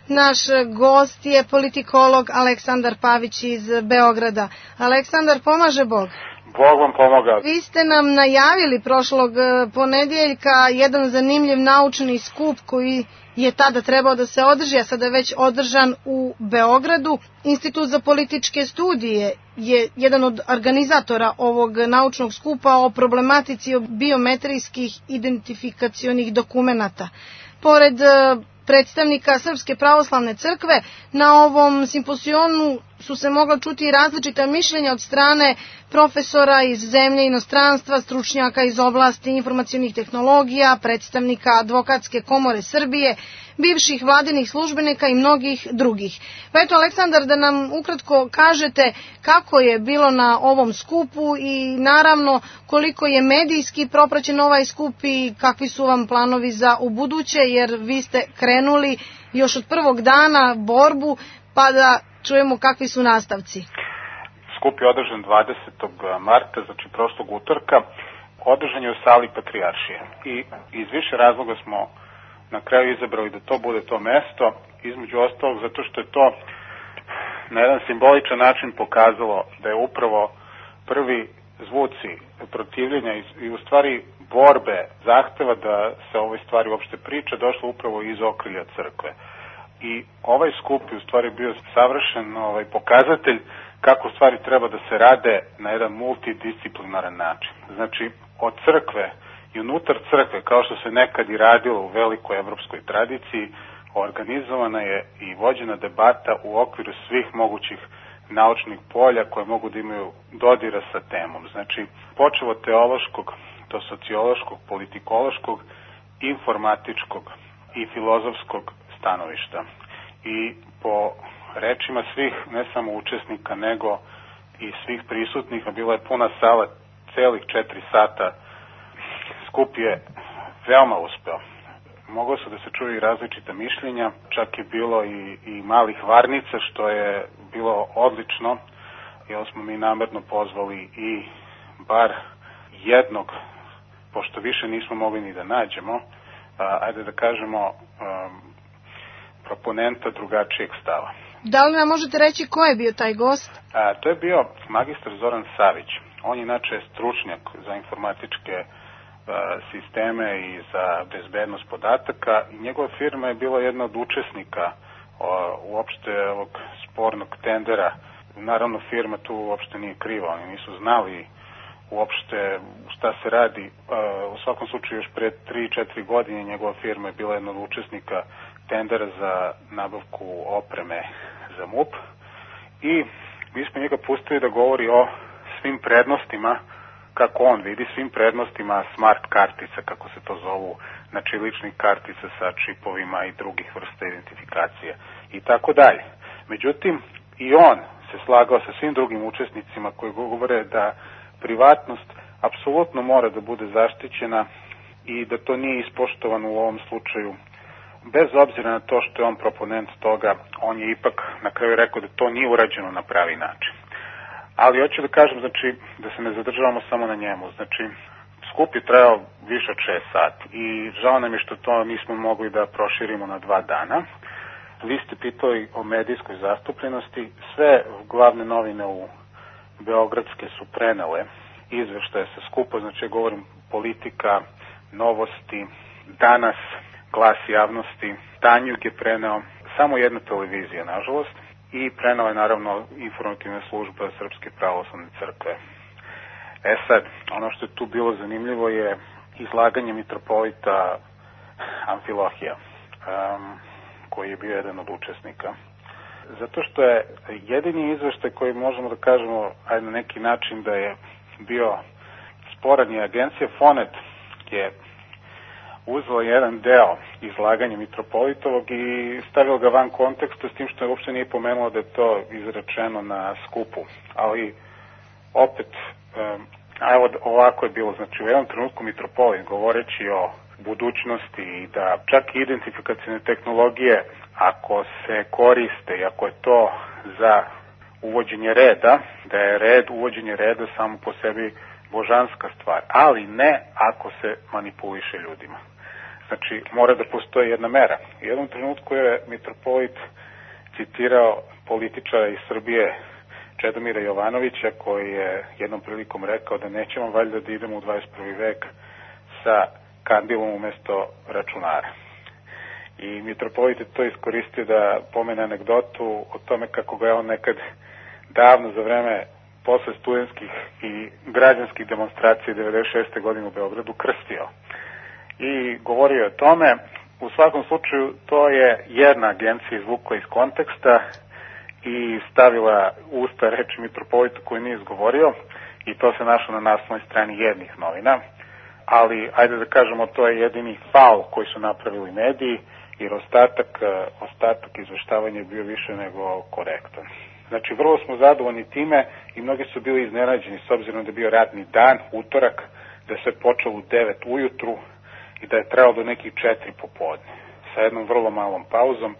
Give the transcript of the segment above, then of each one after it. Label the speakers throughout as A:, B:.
A: Naš gost je politikolog Aleksandar Pavić iz Beograda. Aleksandar, pomaže Bog?
B: Bog vam pomoga.
A: Vi ste nam najavili prošlog ponedeljka jedan zanimljiv naučni skup koji je tada trebao da se održi, a sada je već održan u Beogradu. Institut za političke studije je jedan od organizatora ovog naučnog skupa o problematici biometrijskih identifikacionih dokumenata. Pored predstavnika Srpske pravoslavne crkve, na ovom simpozionu su se mogla čuti različita mišljenja od strane profesora iz zemlje i inostranstva, stručnjaka iz oblasti informacionih tehnologija, predstavnika Advokatske komore Srbije, bivših vladinih službenika i mnogih drugih. Pa eto, Aleksandar, da nam ukratko kažete kako je bilo na ovom skupu i naravno koliko je medijski propraćen ovaj skup i kakvi su vam planovi za ubuduće, jer vi ste krenuli još od prvog dana borbu, pa da čujemo kakvi su nastavci.
B: Skup je održan 20. marta, znači prošlog utorka. Održan je u sali Patrijaršije i iz više razloga smo na kraju izabrali da to bude to mesto, između ostalog zato što je to na jedan simboličan način pokazalo da je upravo prvi zvuci protivljenja i u stvari borbe, zahteva da se o ovoj stvari uopšte priča, došlo upravo iz okrilja crkve. I ovaj skup je u stvari bio savršen pokazatelj kako stvari treba da se rade na jedan multidisciplinaran način. Znači, od crkve i unutar crkve, kao što se nekad i radilo u velikoj evropskoj tradiciji, organizovana je i vođena debata u okviru svih mogućih naučnih polja koje mogu da imaju dodira sa temom. Znači, počevo od teološkog do sociološkog, politikološkog, informatičkog i filozofskog stanovišta. I po rečima svih, ne samo učesnika, nego i svih prisutnih, a bila je puna sala celih 4 sata, skup je veoma uspeo. Moglo su da se čuju i različita mišljenja, čak je bilo i malih varnica, što je bilo odlično, jer smo mi namerno pozvali i bar jednog, pošto više nismo mogli ni da nađemo, ajde da kažemo, proponenta drugačijeg stava.
A: Da li nam možete reći ko je bio taj gost?
B: To je bio magistar Zoran Savić. On je inače stručnjak za informatičke sisteme i za bezbednost podataka i njegova firma je bila jedna od učesnika uopšte ovog spornog tendera. Naravno, firma tu uopšte nije kriva, oni nisu znali uopšte šta se radi. U svakom slučaju još pre 3-4 godine njegova firma je bila jedna od učesnika tendera za nabavku opreme za MUP i mi smo njega pustili da govori o svim prednostima, kako on vidi, svim prednostima smart kartica, kako se to zovu, znači ličnih kartica sa čipovima i drugih vrsta identifikacije i tako dalje. Međutim, i on se slagao sa svim drugim učesnicima koji govore da privatnost apsolutno mora da bude zaštićena i da to nije ispoštovano u ovom slučaju. Bez obzira na to što je on proponent toga, on je ipak na kraju rekao da to nije urađeno na pravi način. Ali hoću da kažem, znači, da se ne zadržavamo samo na njemu. Znači, skup je trajao više od 6 sati i žao nam je što to nismo mogli da proširimo na 2 dana. Vi ste pitali o medijskoj zastupljenosti. Sve glavne novine u beogradske su prenele izveštaje sa skupa, znači ja govorim Politika, Novosti, Danas, Glas javnosti, Tanjug je preneo, samo jedna televizija, nažalost, i preneo je naravno informativna služba Srpske pravoslavne crkve. Sad, ono što je tu bilo zanimljivo je izlaganje mitropolita Amfilohija, koji je bio jedan od učesnika. Zato što je jedini izveštaj koji možemo da kažemo, ajde na neki način da je bio sporan, je agencija Fonet je uzela jedan deo izlaganja mitropolitovog i stavila ga van konteksta, s tim što je uopšte nije pomenulo da je to izrečeno na skupu. Ali opet, evo ovako je bilo, znači u jednom trenutku mitropolit govoreći o budućnosti i da čak i identifikacione tehnologije, ako se koriste i ako je to za uvođenje reda, da je uvođenje reda samo po sebi božanska stvar, ali ne ako se manipuliše ljudima. Znači, mora da postoji jedna mera. U jednom trenutku je mitropolit citirao političara iz Srbije Čedomira Jovanovića, koji je jednom prilikom rekao da nećemo valjda da idemo u 21. vek sa kandilom umesto računara. I mitropolit je to iskoristio da pomene anegdotu o tome kako ga je on nekad davno za vreme posle studentskih i građanskih demonstracija 96. godine u Beogradu krstio. I govorio je o tome. U svakom slučaju to je jedna agencija izvukla iz konteksta i stavila usta reči mitropolitu koju nije izgovorio i to se našlo na naslovnoj strani jednih novina. Ali, ajde da kažemo, to je jedini faul koji su napravili mediji, jer ostatak izveštavanja je bio više nego korektan. Znači, vrlo smo zadovoljni time i mnogi su bili iznenađeni s obzirom da je bio radni dan, utorak, da je sve počelo u 9 ujutru i da je trajalo do nekih 4 popodne. Sa jednom vrlo malom pauzom.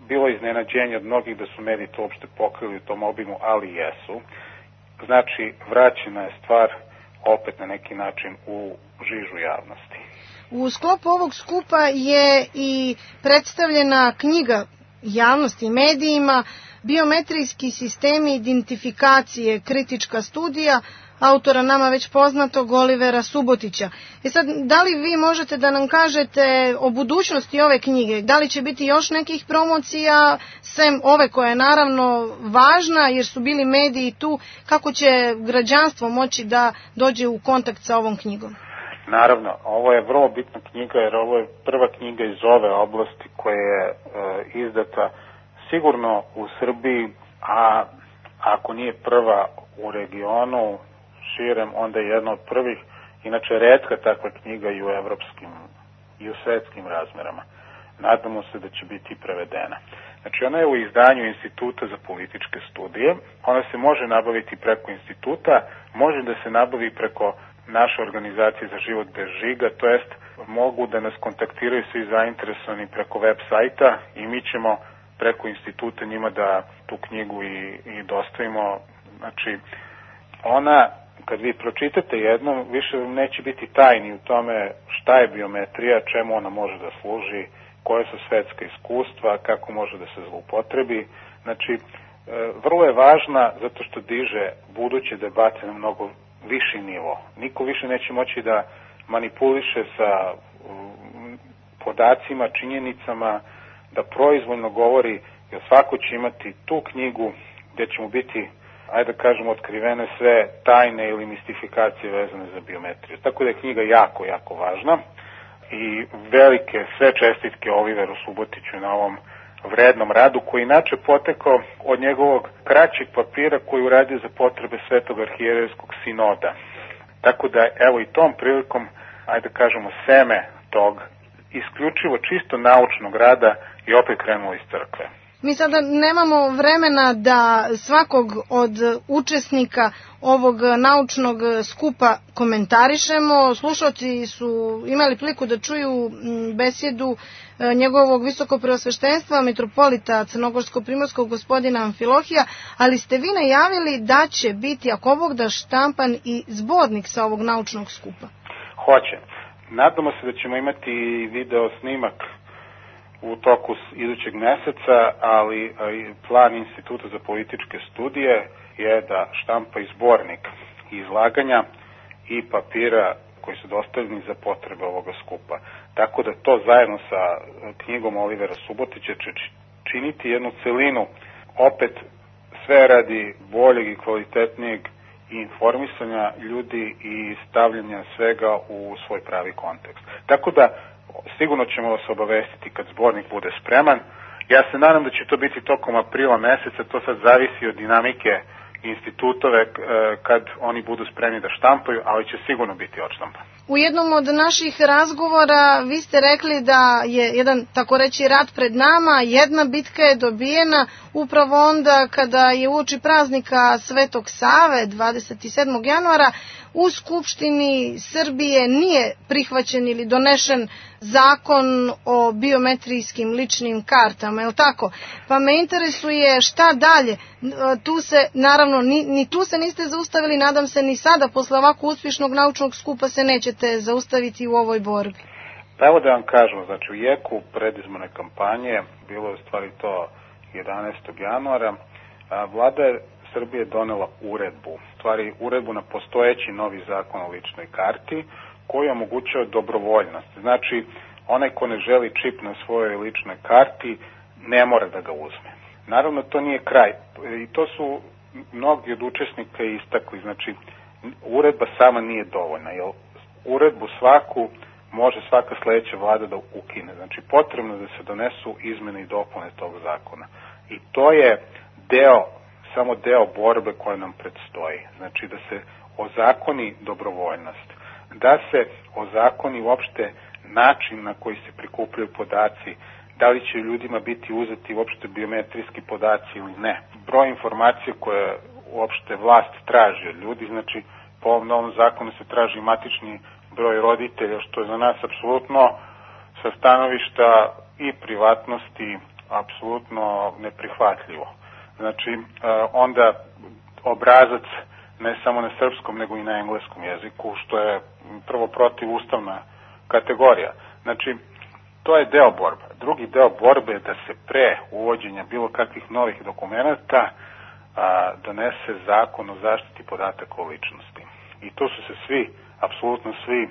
B: Bilo je iznenađenje od mnogih da su mediji to uopšte pokrili u tom obimu, ali jesu. Znači, vraćena je stvar opet na neki način u žižu javnosti.
A: U sklopu ovog skupa je i predstavljena knjiga javnosti i medijima Biometrijski sistemi identifikacije, kritička studija, autora nama već poznatog Olivera Subotića. Sad, da li vi možete da nam kažete o budućnosti ove knjige? Da li će biti još nekih promocija, sem ove koja je naravno važna, jer su bili mediji tu, kako će građanstvo moći da dođe u kontakt sa ovom knjigom?
B: Naravno, ovo je vrlo bitna knjiga, jer ovo je prva knjiga iz ove oblasti koja je izdata sigurno u Srbiji, a ako nije prva u regionu, širem, onda je jedna od prvih, inače retka takva knjiga i u evropskim i u svetskim razmerama. Nadamo se da će biti prevedena. Znači, ona je u izdanju Instituta za političke studije, ona se može nabaviti preko instituta, može da se nabavi preko naše organizacije za život bez žiga, to jest mogu da nas kontaktiraju svi zainteresovani preko web sajta i mi ćemo preko instituta njima da tu knjigu i dostavimo. Znači, ona, kad vi pročitate jednom, više neće biti tajni u tome šta je biometrija, čemu ona može da služi, koje su svetska iskustva, kako može da se zloupotrebi. Znači, vrlo je važna zato što diže buduće debate na mnogo viši nivo. Niko više neće moći da manipuliše sa podacima, činjenicama, da proizvoljno govori, jer svako će imati tu knjigu gdje će mu biti, ajde da kažemo, otkrivene sve tajne ili mistifikacije vezane za biometriju. Tako da je knjiga jako, jako važna i velike sve čestitke Oliveru Subotiću na ovom vrednom radu, koji inače potekao od njegovog kraćeg papira koji uradio za potrebe Svetog arhijerejskog sinoda. Tako da, evo i tom prilikom, ajde da kažemo, seme tog isključivo čisto naučnog rada i opet krenulo iz crkve.
A: Mi sada nemamo vremena da svakog od učesnika ovog naučnog skupa komentarišemo. Slušalci su imali priliku da čuju besjedu njegovog visokopreosveštenstva, mitropolita Crnogorsko-primorskog gospodina Amfilohija, ali ste vi najavili da će biti, ako Bog da, štampan i zbornik sa ovog naučnog skupa.
B: Hoće. Nadamo se da ćemo imati video snimak u toku idućeg meseca, ali plan Instituta za političke studije je da štampa i zbornik izlaganja i papira koji su dostavljeni za potrebe ovoga skupa. Tako da to zajedno sa knjigom Olivera Subotića će činiti jednu celinu, opet sve radi boljeg i kvalitetnijeg informisanja ljudi i stavljanja svega u svoj pravi kontekst. Tako da sigurno ćemo vas obavestiti kad zbornik bude spreman. Ja se nadam da će to biti tokom aprila meseca, to sad zavisi od dinamike institutove kad oni budu spremni da štampaju, ali će sigurno biti odštampan.
A: U jednom od naših razgovora vi ste rekli da je jedan, tako reći, rat pred nama, jedna bitka je dobijena upravo onda kada je uoči praznika Svetog Save 27. januara u Skupštini Srbije nije prihvaćen ili donešen zakon o biometrijskim ličnim kartama, je li tako? Pa me interesuje šta dalje. Tu se, naravno, ni tu se niste zaustavili, nadam se ni sada, posle ovako uspješnog naučnog skupa se nećete zaustaviti u ovoj borbi.
B: Pa evo da vam kažemo, znači u jeku predizborne kampanje, bilo je u stvari to 11. januara, vlada Srbije donela uredbu, stvari uredbu na postojeći novi zakon o ličnoj karti, koji omogućuje dobrovoljnost. Znači, onaj ko ne želi čip na svojoj ličnoj karti, ne mora da ga uzme. Naravno, to nije kraj. I to su mnogi od učesnika istakli. Znači, uredba sama nije dovoljna, jer uredbu svaku može svaka sledeća vlada da ukine. Znači, potrebno da se donesu izmene i dopune tog zakona. I to je samo deo borbe koja nam predstoji. Znači, da se ozakoni dobrovoljnost, da se ozakoni uopšte način na koji se prikupljaju podaci, da li će ljudima biti uzeti uopšte biometrijski podaci ili ne. Broj informacija koje uopšte vlast traži od ljudi, znači po ovom novom zakonu se traži matični broj roditelja, što je za nas apsolutno sa stanovišta i privatnosti apsolutno neprihvatljivo. Znači, onda obrazac ne samo na srpskom, nego i na engleskom jeziku, što je prvo protivustavna kategorija. Znači, to je deo borbe. Drugi deo borbe je da se pre uvođenja bilo kakvih novih dokumenata donese zakon o zaštiti podataka o ličnosti. I to su se apsolutno svi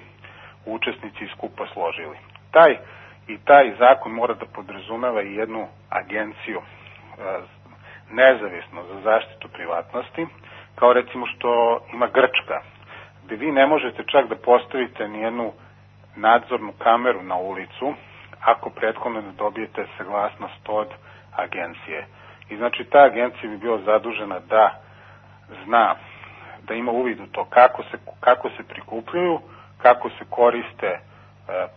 B: učesnici skupa složili. Taj zakon mora da podrazumeva i jednu agenciju nezavisno za zaštitu privatnosti, kao recimo što ima Grčka, gde vi ne možete čak da postavite nijednu nadzornu kameru na ulicu ako prethodno ne dobijete saglasnost od agencije. I znači ta agencija bi bila zadužena da zna, da ima uvid u to kako se prikupljaju, kako se koriste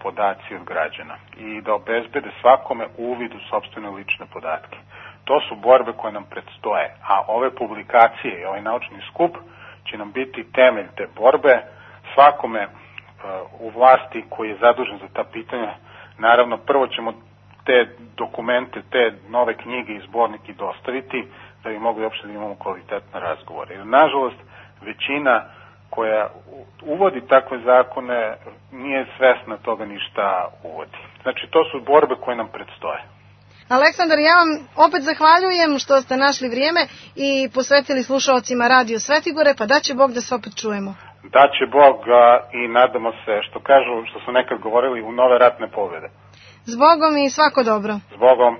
B: podaci od građana i da obezbede svakome uvid u sopstvene lične podatke. To su borbe koje nam predstoje, a ove publikacije i ovaj naučni skup će nam biti temelj te borbe. Svakome u vlasti koji je zadužen za ta pitanja, naravno prvo ćemo te dokumente, te nove knjige i zbornike dostaviti da bi mogli uopšte da imamo kvalitetne razgovore. Jer nažalost većina koja uvodi takve zakone nije svesna toga ni šta uvodi. Znači to su borbe koje nam predstoje.
A: Aleksandar, ja vam opet zahvaljujem što ste našli vrijeme i posvetili slušalcima Radio Svetigore, pa daće Bog da se opet čujemo.
B: Daće Bog i nadamo se, što su nekad govorili, u nove ratne pobjede.
A: Zbogom i svako dobro.
B: Zbogom.